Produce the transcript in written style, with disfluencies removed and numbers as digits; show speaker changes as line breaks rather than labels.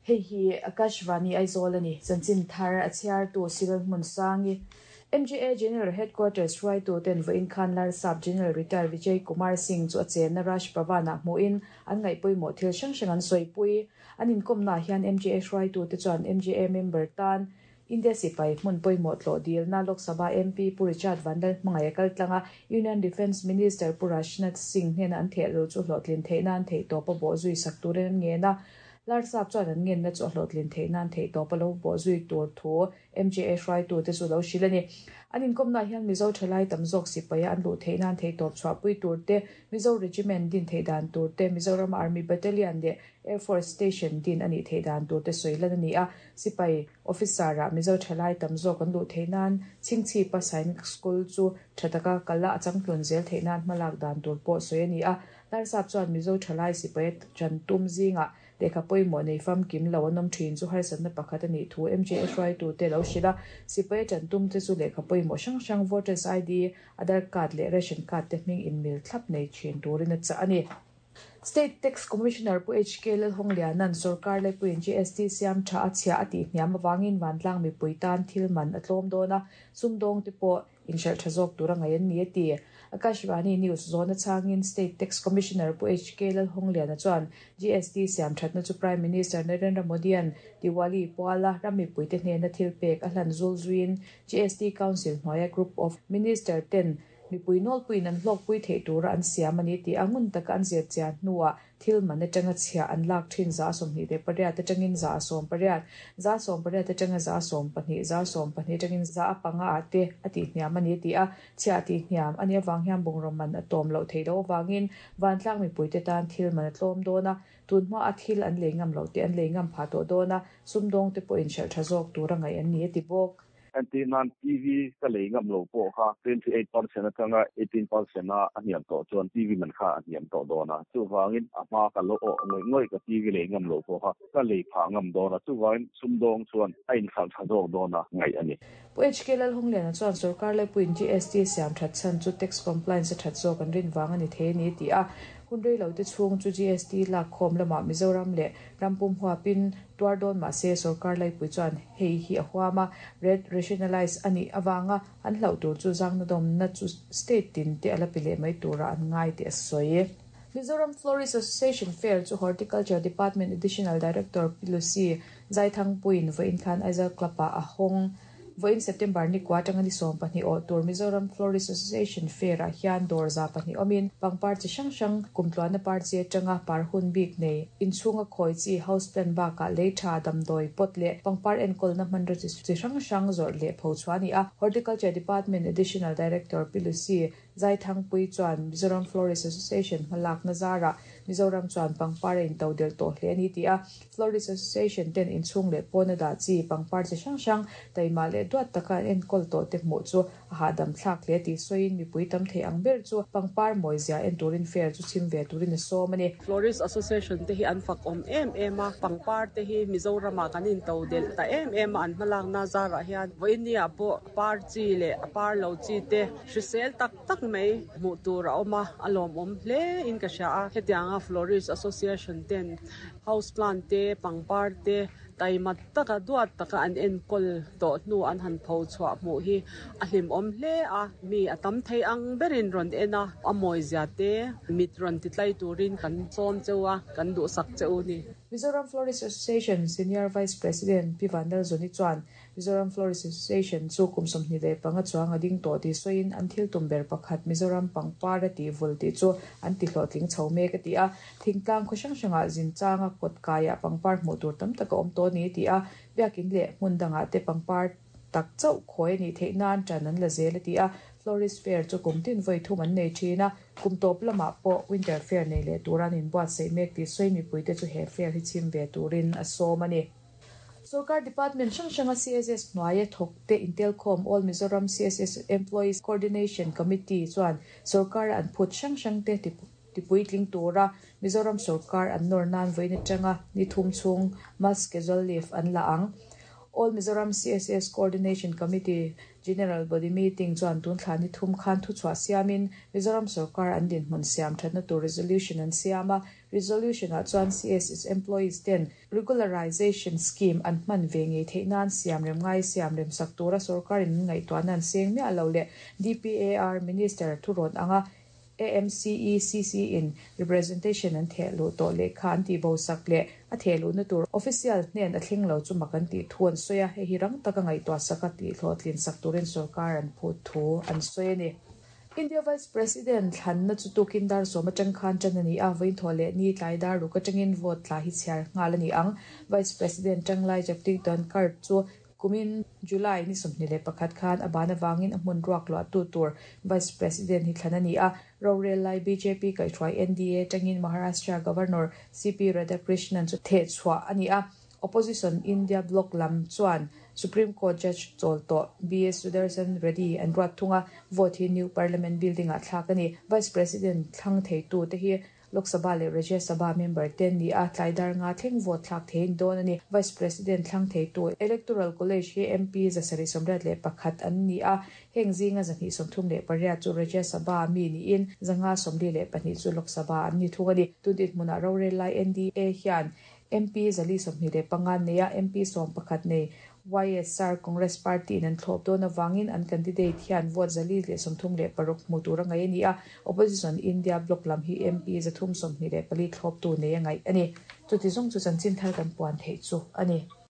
Hei hi Akashvani Aizawl a ni. Chanchin thar a chhiartu Civil Hmunsangi, MGA General Headquarters hruaituten vawiin khan Larsap General Retired Vijay Kumar Singh chu a chenna Raj Bhavan-ah hmuhin an ngaihpawimawh thil hrang hrang an sawipui. An inkawmnaah hian MGA hruaitute chuan MGA member tan India sipai hmun pawimawh tlawh dilna Lok Sabha MP Pu Richard Vanlalhmangaih a kal tlang a, Union Defence Minister Pu Rajnath Singh hnena an thehlo chu hlawhtlin theih nan theihtawp a bawhzui sak turin an ngen a. Larsap chuan an ngenna chu a hlawhtlin theih nan theihtawp a lo bawhzui tur thu MJA hruaitute chu lo hrilh a ni. An inkawmnaah hian Mizo thalai tam zawk sipaia an luh theih nan theihtawp chhuahpui tur te, Mizo Regiment din theih dan tur te, Mizoram Army Battalion leh Air Force Station din a nih theih dan tur te sawi lan a ni a. Sipai Officer-ah Mizo thalai tam zawk an luh theih nan Chhingchhipa Sainik School chu tha taka kal a, a changtlun zel theih nan hmalak dan tur pawh sawi a ni a. Larsap chuan Mizo thalai sipaia chan tum zingah lehkha pawimawh nei famkim lo an awm thin chu harsatna pakhat a nih thu MJA hruaitute lo hrilh a. Sipaia chan tum te chu lehkha pawimawh hrang hrang Voters ID, Aadhaar Card leh Ration Card te hming inmil thlap nei thin turin a chah a ni. State Tax Commissioner Pu HK Lalhawng-Liana'n sorkar laipuiin GST siam tha a chhiah a tih hniam avangin vantlang mipui tan thil man a tlawm dawn a, sumdawng te pawh inhralh tha zawk tur a ngaih an ni a ti. Akashvani News zawhna chhangin State Tax Commissioner Pu HK Lalhawng-Liana chuan GST siam thatna chu Prime Minister Narendra Modi-a'n Diwali puala ram mipuite hnena thil pek a hlan zul zuiin GST Council hnuaia Group of Minister ten Mipui nawlpuiin an hlawkpui theih tura an siam a ni tih a ngun taka an zir chian hnuah thil man atanga chhiah an lak thin 28 atangin 18, 18 atanga 12, 12 atangin 5 ah te a tihhniam a ni tih a chhiah tihhniam a nih avang hian bungraw man a tawm loh theih loh avangin vantlang mipuite tan thil man a tlawm dawn a, tun hma a thil an lei ngam loh te an lei ngam phah tawh dawn a, sumdawngte pawhin hralh tha zawk tura ngaih an ni a ti bawk.
Entir nan TV ka lei ngam lo pawh kha 28% atanga 18% a a hniam tawh chuan TV man kha a hniam tawh dawn a. Chuvangin a hma ka lo awh ngawih ngawih ka TV lei ngam lo pawh kha ka lei phah ngam dawn a. Chuvangin sumdawng chuan a inhralh tha zawk dawn a ngaih a ni.
Pu HK Lalhungliana chuan sorkar laipuiin GST siam that chhan chu tax compliance a that zawk an rin vang a ni thei a ni tih a hun rei lo te chhung chu GST lak khawm lamah Mizoram leh ram pum huapin Tuar dawn mah se sorkar laipui chuan hei hi a huam a, rate rationalise a nih avanga an hlauh tur chu zangnadawmna chu state tin te a la pe leh mai turah an ngai tih a sawi. Mizoram Florist Association Fair chu Horticulture Department Additional Director Pi Lucy Zaithangpuiin vawiin khan Aizawl Club-ah a hawng. Vawiin September ni kua atanga ni 12 awh tur Mizoram Florist Association Fair-ah hian dawr 200 awmin pangpar chi hrang hrang, kumtluanna par chi atanga par hun bik nei, inchhunga khawi chi, house plant bakah lei tha, damdawi, pot leh pangpar enkawlna hmanraw chi hrang hrang zawrh leh pho chhuah a ni a. Horticulture Department Additional Director Pi Lucy Zaithangpui chuan Mizoram Florist Association hmalakna zarah Mizoram chuan pangpar a into delh tawh hle a ni tih a, Florist Association ten inchhung leh pawna dah chi pangpar chi hrang hrang taima leh duat taka an enkawl tawh te hmuh chu a hahdam thlak hle tih sawiin mipui tam thei ang ber chu pangpar mawizia en turin fair chu chhim ve turin a sawm a ni.
Florist Association te hi an fak awm em em a, pangpar te hi Mizoramah kan into delh ta em em a, an hmalakna zarah hian vawiin pawh par chi leh a par lo chi te Hrisel tak tak mai hmuh tur a awm a, a lawmawm hle in ka hria a. Hetianga Florist Association ten house plant te, pangpar te taima taka duat taka an enkawl tawh hnu an han pho chhuah hmuh hi a hlimawm hle a. Mi a tam thei ang berin rawn en a, a mawizia te mit rawn ti tlai turin kan sawm cheu a, kan duhsak che u ni.
Mizoram Florist Association Senior Vice President Pi Vanlalzawni chuan Mizoram Florist Association chu kum 25 chuang a ding tawh tih sawiin an thil tum ber pakhat Mizoram pangpar a tih vul tih chu an ti hlawhtling chho mek a ti a. Thingtlang khaw hrang hrangah zinchanga kawt kaiah pangpar hmuh tur tam tak a awm tawh a ni ti a. Biakin leh hmun dangah te pangpar tak chauh khawi a nih theih nan ṭan an la zel a ti a. Florist Fair chu kum tin vawi thum an nei ṭhin a. Kum tawp lamah pawh Winter Fair nei leh tura an inbuatsaih mek tih sawi mipuite chu he fair hi chhim ve turin a sawm a ni. Sorkar department hrang hranga CSS hnuaia thawkte intelkhawm All Mizoram CSS Employees Coordination Committee chuan sorkara an phut hrang hrangte tipuitling tura Mizoram sorkar an nawr nan vawiin atanga ni thum chhung mass casual leave an la ang. All Mizoram CSS Coordination Committee General Body Meeting chuan tun thla ni thum khan thuchhuah siamin Mizoram sorkar an dinhmun siam thatna tur resolution an siam a. Resolution ah chuan CSS employees ten regularization scheme an hman ve ngei theih nan siam rem ngai siam rem sak tura sorkar in an ngaihtuahna an seng miah lo leh DPAR Minister thurawn anga AMCECC in representation an theh luh tawh lehkha an tih bo sak leh a theh luhna tur official hnen a thleng lo chu mak an tih thu an sawi a, hei hi rang taka ngaihtuah sak a tih hlawhtlin sak turin sorkar an phut thu an sawi a ni. India Vice President thlanna chu tukin dar sawm atang khan tan a ni a, vawiin leh ni tlai dar ruk atangin vote tla hi chhiar nghal a ni ang. Vice President Tanglai Jagdeep Dhankhar chu Kumin July ni 21 khan a ban avangin a hmun ruak luah tu tur Vice President hi thlan a ni a, rorel lai bjp kaihhruai NDA tangin Maharashtra Governor CP Radhakrishnan chu theh chhuah a ni a, Opposition India bloc lam chuan Supreme Court Judge chawl tawh BS Sudarshan Reddy an ruat thung a, vote hi New Parliament Building ah thlak a ni. Vice President thlang theitu te hi Lok Sabha leh Rajya Sabha member te an ni a, tlai dar nga thleng vote thlak thei an dawn a ni. Vice President thlang theitu Electoral College hi MP 781 an ni a, heng zinga 238 chu Rajya Sabha mi niin 542 chu Lok Sabha an ni thung a ni. Tun dinhmunah rorel lai NDA hian MP 425 an nei a, MP 11 nei YSR Congress Party in an thlawp dawn avangin an candidate hian vote 436 hmu tur a ngaih a ni a, Opposition India bloc lam hi MP 324 thlawptu nei a ngaih a ni. Chuti zawng chu chanchin thar kan puan theih chu a ni.